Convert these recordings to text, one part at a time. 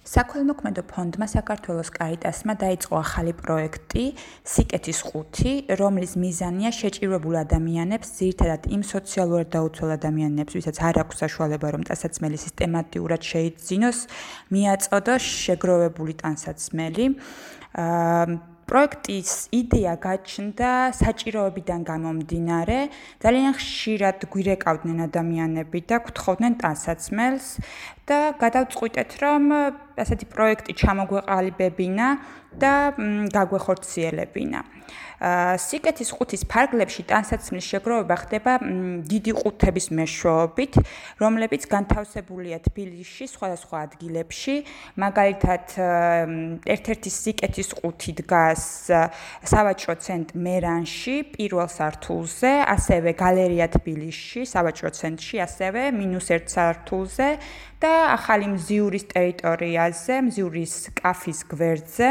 საქველმოქმედო ფონდმა საქართველოს კარიტასმა დაიწყო ახალი პროექტი სიკეთის 5, რომლის მიზანია შეჭირვებულ ადამიანებს, ძირითადად იმ სოციალურად დაუცველ ადამიანებს, ვისაც არ აქვს საშუალება, რომ ტანსაცმელი სისტემატურად შეიძინოს, მიაწოდოს შეგროვებული ტანსაცმელი. პროექტის იდეა გაჩნდა საჭიროებიდან გამომდინარე, ძალიან ხშირად გვირეკავდნენ ადამიანები და გთხოვდნენ ტანსაცმელს და გადავწყვიტეთ, რომ ასეთი პროექტი ჩამოგვეყალიბებინა და გაგვეხორციელებინა. სიკეთის 5-ის ფარგლებში ტანსაცმლის შეგროვება ხდება დიდი ყუთების მეშვეობით, რომლებიც განთავსებულია თბილისში სხვადასხვა ადგილებში. მაგალითად, ერთ-ერთი სიკეთის 5 დგას სავაჭრო ცენტრ მერანში, პირველ სართულზე, ასევე გალერეა თბილისში, სავაჭრო ცენტრში, ასევე -1 სართულზე და ახალი მზიურის ტერიტორიაზე, მზიურის კაფის გვერდზე,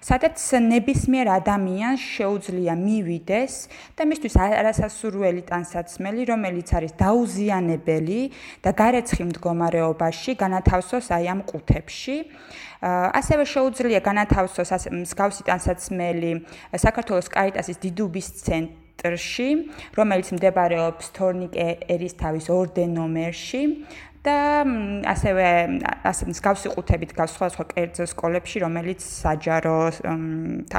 სადაც ნებისმიერ ადამიანს შეუძლია მივიდეს და მისთვის არასასურველი ტანსაცმელი, რომელიც არის დაუზიანებელი და გარეცხილ მდგომარეობაში, განათავსოს აი ამ ყუთებში. ასევე შეუძლია განათავსოს მსგავსი ტანსაცმელი საქართველოს კარიტასის დიდუბის ცენტრში, რომელიც მდებარეობს თორნიკე ერისთავის 2 ნომერში. და ასევე მსგავსი ყუთები დგას სხვადასხვა კერძო სკოლებში, რომელიც საჯარო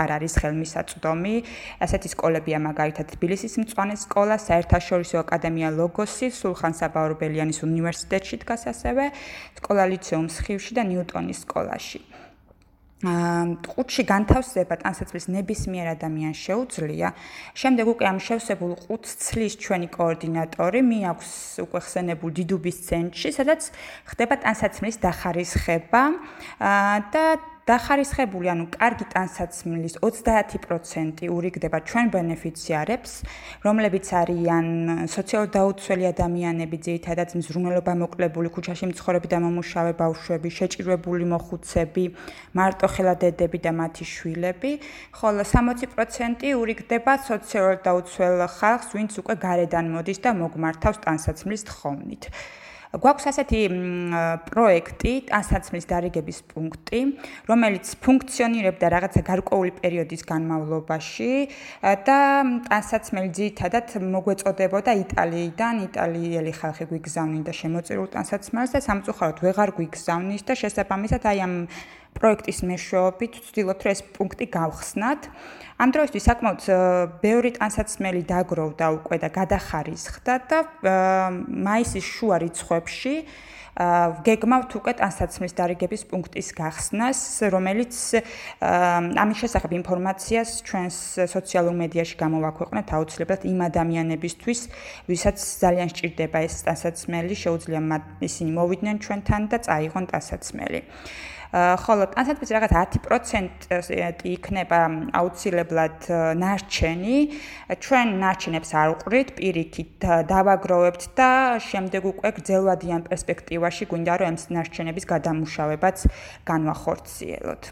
არ არის ხელმისაწვდომი. ასეთი სკოლებია მაგალითად თბილისის მწვანე სკოლა, საერთაშორისო აკადემია ლოგოსი, სულხან საბაურბელიანის უნივერსიტეტში დგას ასევე სკოლა ლიცეუმ სხივში და ნიუტონის სკოლაში. ყუთში განთავსება ტანსაცმლის ნებისმიერ ადამიანს შეუძლია. შემდეგ უკვე ამ შევსებულ ყუთს ცლის ჩვენი კოორდინატორი, მიაქვს უკვე ხსენებულ დიდუბის ცენტრში, სადაც ხდება ტანსაცმლის დახარისხება და დახარისხებული, ანუ კარგი ტანსაცმლის 30% ურიგდება ჩვენ ბენეფიციარებს, რომლებიც არიან სოციალურად დაუცველი ადამიანები, ძირითადად მზრუნველობა მოკლებული, ქუჩაში მცხოვრები და მომუშავე ბავშვები, შეჭირვებული მოხუცები, მარტოხელა დედები და მათი შვილები, ხოლო 60% ურიგდება სოციალურად დაუცველ ხალხს, ვინც უკვე გარედან მოდის და მოგმართავს ტანსაცმლის თხოვნით. გვაქვს ასეთი პროექტი, ტანსაცმლის დარიგების პუნქტი, რომელიც ფუნქციონირებდა რაღაცა გარკვეული პერიოდის განმავლობაში და ტანსაცმელი ძირითადად მოგვეწოდებოდა იტალიიდან, იტალიელი ხალხი გვიგზავნიდა შემოწირულ ტანსაცმელს და სამწუხაროდ ვეღარ გვიგზავნის და შესაბამისად აი ამ პროექტის მეშვეობით ვცდილობთ, რომ ეს პუნქტი გავხსნათ. ამ დროისთვის საკმაოდ ბევრი ტანსაცმელი დაგროვდა უკვე და გადახარისხდა და მაისის შუა რიცხვებში გეგმავთ უკვე ტანსაცმლის დარიგების პუნქტის გახსნას, რომელიც ამის შესახებ ინფორმაციას ჩვენს სოციალურ მედიაში გამოვაქვეყნეთ აუცილებლად იმ ადამიანებისთვის, ვისაც ძალიან სჭირდება ეს ტანსაცმელი, შეუძლია ისინი მოვიდნენ ჩვენთან და წაიღონ ტანსაცმელი. ხოლო ტანსაცმლის რაღაც 10% იქნება აუცილებლად ნარჩენი. ჩვენ ნარჩენებს არ ვყრით, პირიქით დავაგროვებთ და შემდეგ უკვე გრძელვადიან პერსპექტივაში გვინდა რომ ამ ნარჩენების გადამუშავებაც განვახორციელოთ.